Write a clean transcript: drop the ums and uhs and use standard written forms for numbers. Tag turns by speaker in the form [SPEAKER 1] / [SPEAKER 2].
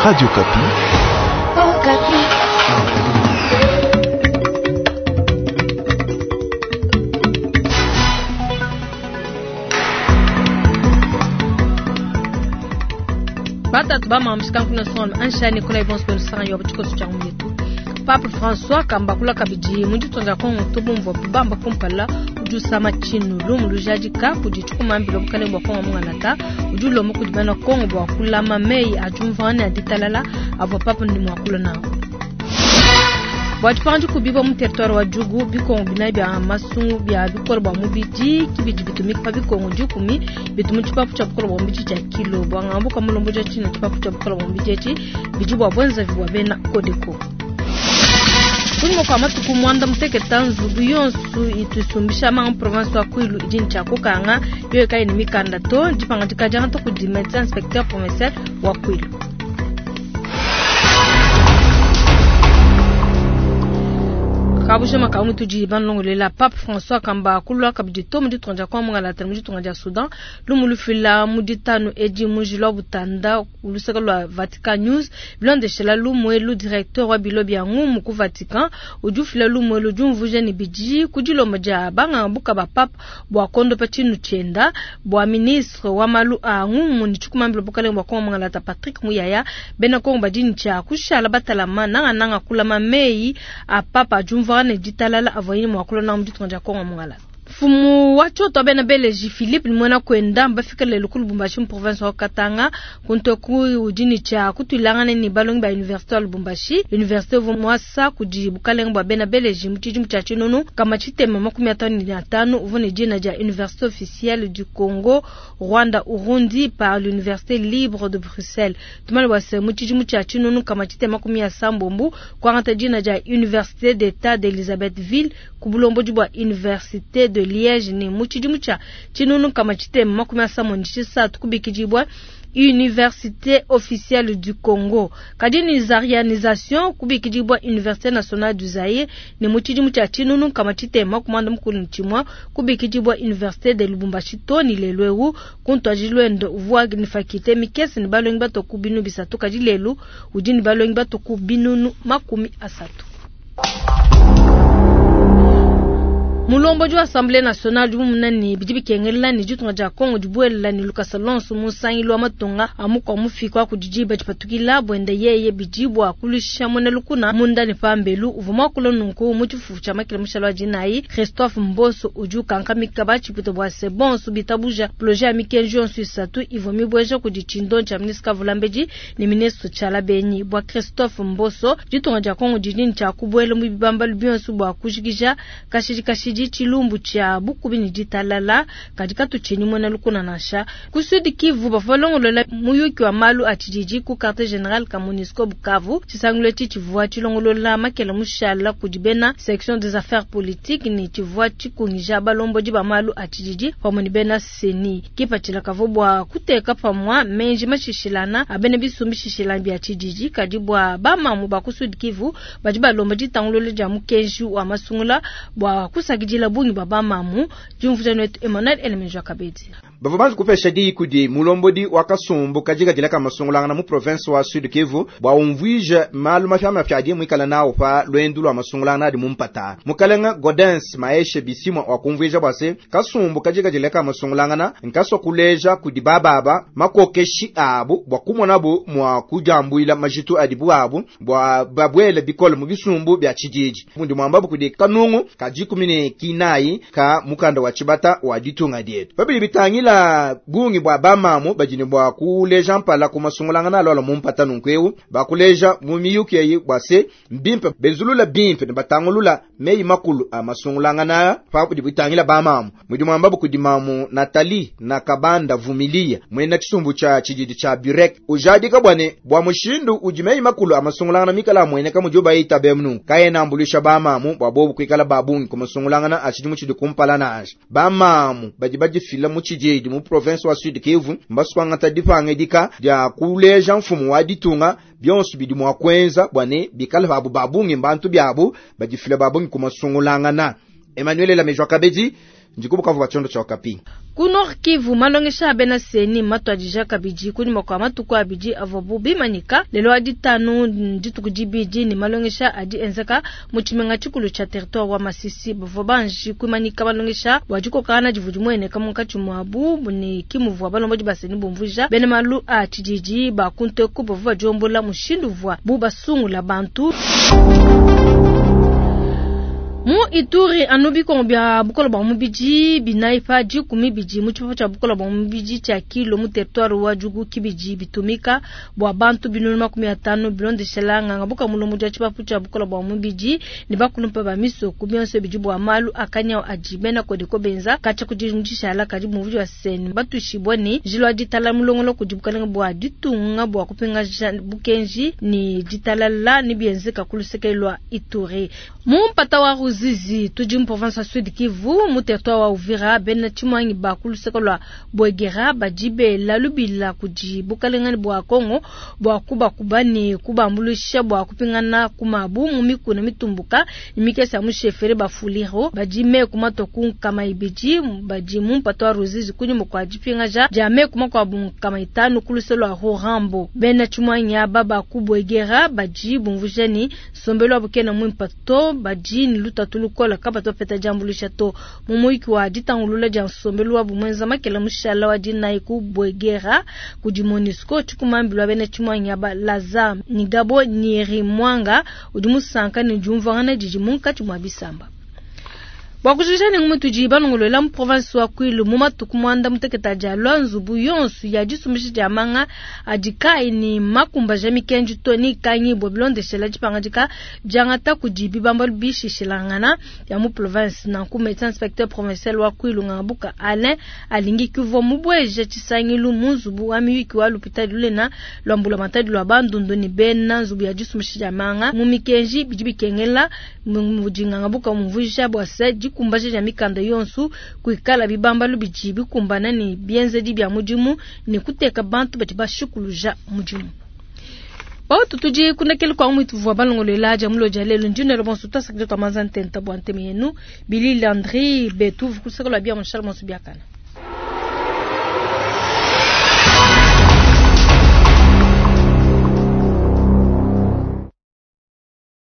[SPEAKER 1] Radio Okapi.
[SPEAKER 2] Okapi.
[SPEAKER 3] Batatu bamamshikankuna son anshani kuna ibonso benu yo butshikoso tshia mwetu. Pape François kambakula kabidi mu ditunga dia Kongo tubumvua bamba kumpala udi usama tshinu lumu lujadika kudi tshikumambila bukalenge bua Kongo mungalata udi ulomba kudi bena Kongo bua kulama meyi a diumvuangana ne a ditalala avua Pape ne muakula nawu. Bua dipanga dikubibua mu territoire wa Djugu, bikongo binayi bia masungu bia bukole bua mubidi kibidi bitumika pa bikongo dikumi bitu mu tshipapu tshia bukole bua mubidi tshia kilo bua ngambu ka mulombodi wa tshina tshipapu tshia bukole bua mubidi etshi bidi bua buenzavi bua bena Codeco. Kunyima kua matuku muanda muteketa nzubu yonso itu isumbisha manga mu province wa Kwilu idi ne tshia kukanga yoyo kayi ne mikanda to. Dipangadika diangata kudi medecin inspecteur provincial wa Kwilu. Kabujima ka mutudi banlongolela Pape François Kamba kulua kabidi to mu ditunga dia Kongo mungalata mu ditunga dia Soudan lumu lufila mu ditanu edi mu njila wa butanda luseke lua Vatican News bilondeshela lumu elu directeur wa bilo bia ngumu ku Vatican udi ufila lumu elu diumvuija ne bidi ku dilomba dia banganga buka ba Pape bua kondopa tshinu tshienda bua ministre wa malu a ngumu ne tshikumambila bukalenge bua Kongo mungalata Patrick Muyaya bena Kongo badi ne tshia kushala batalama nangananga kulama meyi a Papa diumvuangana ne ditalala avuaye mua kulonda mu ditunga dia Kongo mungalata. Mfumu wa tshioto wa bena Beleji Philippe ne muena kuenda mbafika lelu ku Lubumbashi mu province wa Katanga. Kuntu udi ne tshia kutuilangana ne balongi ba universite wa Lubumbashi. Universite uvua muasa kudi bukalenge bua bena Beleji mu tshidimu tshia tshinunu kama tshitema 55 uvua ne dina dia Université officielle du Congo Rwanda Urundi par l'Université libre de Bruxelles. Tumale bua se mu tshidimu tshia tshinunu kama tshitema 80 kuangata dina dia Université d'État d'Elisabethville ku bulombodi bua Université de Liège ne mu tshidimu tshia tshinunu kama tshitema 73 kubikidibua Université officielle du Congo. Kadi ni zarianisation kubikidibua Université nationale du Zaïre ne mu tshidimu tshia tshinunu kama tshitema 61 kubikidibua Université de Lubumbashi to ni lelu eu kuntuadi luende uvua ni faculté mikese ne balongi bato ku binu bisatu kadi lelu udi ne balongi bato ku binunu 30. Mulombodi wa Assemblée nationale udi mumona ne bidi bikengela ne ditunga dia Kongo dibuela ne lukasa lonso mu nsangilu wa matunga a mukua mufika kudi diba dipatukila buenda yeye bidi bua kulusha muena lukuna munda ne pambelu. Uvua muakula nunku mu tshifufu tshia makila mushalo wa dinayi. Christophe Mboso udi ukankamika batshipute bua se bonso bitabuja projet ya mikenji yonso isatu ivua mibueja kudi tshindo tshia ministre Kavulambedi ne ministre Tshiala Benyi. Bua Christophe Mboso ditunga dia Kongo didi ne tshia kubuela mu bibambalu bionso bua kujikija kashidi kashidi tshilumbu tshia bukubi ne ditalala kadi katutshinyi muena lukuna nansha. Ku Sud Kivu bavua balongolola muyuki wa malu a tshididi ku quartier general ka MONUSCO Bukavu. Tshisangilu etshi tshivua tshilongolola makela mushala kudi bena section des affaires politiques ne tshivua tshikungija balombodi ba malu a tshididi pamue ne bena seni. Kipatshila kavua bua kuteka pamua menji mashishilana a bena bisumbi shishilana bia tshididi kadi bua bamamu ba ku Sud Kivu badi balomba ditangulula dia mukenji wa masungula bua kusakidila bungi bua bamamu. Diumvuija netu Emmanuel Elemenjwa Kabedi.
[SPEAKER 4] Bavua banji kupesha diyi kudi mulombodi wa kasumbu kajikajila ka masungulangana mu province wa Sud Kivu bua umvuije malu mapiamapia adi muikala nawu pa luendu lua masungulangana adi mu mpata. Mukalenga Gaudens Maeshe Bisimwa wakumvuija bua se kasumbu kajikajila ka masungulangana nkasua kuleja kudi bababa makokeshi abu bua kumonabu mua kujambuila majitu adibu abu bua babuele bikole mu bisumbu bia tshididi. Mundi muambabu kudi kanungu ka dikumi ne kinayi ka mukanda wa tshibata wa ditunga dietu. Babidi bitangila bungi bua bamamu badi ne bua kuleja mpala ku masungulangana alola mu mpata nunku eu bakuleja mu miyuki eyi bua se mbimpe benzulula bimpe ne batangulula meyi makulu a masungulangana pa budi bitangila bamamu. Mudi muambabu kudi mamu Nathalie Nakabanda Vumilia mwena tshisumbu tshia tshididi tshia Burek ujadika bua ne bua mushindu udi meyi makulu a masungulangana mikala amueneka mudi bayita bemnu kayena ambulisha bamamu bua bobu kuikala ba bungi ku masungulangana a tshidimu tshidi kumpala nansha. Bamamu badi badifila mu tshididi mu province wa Sud Kivu mbaswangata dipangedika dia kuleja mfumu wa ditunga bionso bidi mua kuenza bua ne bikala babu babungi mbantu biabu badifila babungi ku masungulangana. Emmanuel Lamejwa Kabedi, Ndi ku Bukavu bua tshiondo tshia Okapi.
[SPEAKER 3] Ku Nord Kivu, malongesha a bena CENI mmatuadija kabidi kunyima kua matuku abidi avuabu bimanyika. Lelu wa ditanu ndituku dibidi ne malongesha adi enzeka mu tshimenga tshikulu tshia territoire wa Masisi. Bavua banji kuimanyika malongesha bua dikokangana divua dimueneka munkatshi muabu ne ki muvua balombodi ba CENI bumvuija bena malu a tshididi ba ku nteku bavua badiombola mushindu uvuabu basungula bantu. Mu Ituri, anu bikongo bia bukole bua mubidi binayi pa dikumi bidi mu tshipapu tshia bukole bua mubidi tshia Kilo mu territoire wa Djugu kibidi bitumika bua bantu 500,000 bilondeshela nganga buka mulombodi wa tshipapu tshia bukole bua mubidi ne bakulumpe ba misoko bionso bidi bua malu a kanyawu adi bena Codeco benza katshia ku dishala kadi muvudi wa sen batuishibua ne njila wa ditalala mulongolola kudi bukalenge bua ditunga bua kupingaja bukenji ne ditalala ne bienzeka ku luseke lua Ituri. Mu mpata wa Ruzizi tudi mu province wa Sud Kivu mu territoire wa Uvira bena tshimuangi ba ku luseke lua Bwegera badi bela lubila kudi bukalenge bua Kongo bua kubakuba ne kubambuluisha bua kupingana ku mabu mu mikuna mitumbuka ne mikese ya mu chefferie ba Fuliro badi meku matua ku 200 badi mu mpata wa Ruzizi kunyima kua dipingaja dia meku makuabu 500 ku luse lua Rurambo. Bena tshimuangi aba ba ku Bwegera badi bumvuija ne nsombelu wabu kena muimpe to, badi ne lutatu lukole kabatu bapeta diambuluisha to. Mu muyuki wa ditangulula dia nsombelu wabu muenza makela mushala wa dinayi ku Bwegera kudi MONUSCO, tshikumambilu wa bena tshimuangi aba Lazare Nigabo Nyirimwanga udi musanka ne diumvuangana didi munkatshi mua bisamba. Bua kujikija ne ngumu tudi balongoluela mu province wa Kwilu mu matuku muanda mutekete adi alua, nzubu yonso ya disumbisha dia manga adi kayi ne makumbaja mikenji to ne ikangibue bilondeshela dipangadika diangata kudi bibambalu bishishilangana bia mu province. Nanku medecin inspecteur provincial wa Kwilu Ngabuka Alain Alingi kuvua mubueja tshisangilu mu nzubu wa miyuki wa lupitadi lunene lua mbulamatadi lua Bandundu ne bena nzubu ya disumbisha dia manga mu mikenji bidi bikengela mudi Ngabuka umvuija bua se dikumbaja dia mikanda yonso kuikala bibambalu bidi bikumbana ne bienzedi bia mudimu ne kuteka bantu badi bashikuluja mudimu. Bautu tudi kunekele kwa mwitu vua balongolola dia mulo dia lelo ndinelo bonso twasakidila twa manza ntenta bua nteme yenu Billy Landry betu vukusaka lwa bia munshala bonso biakana.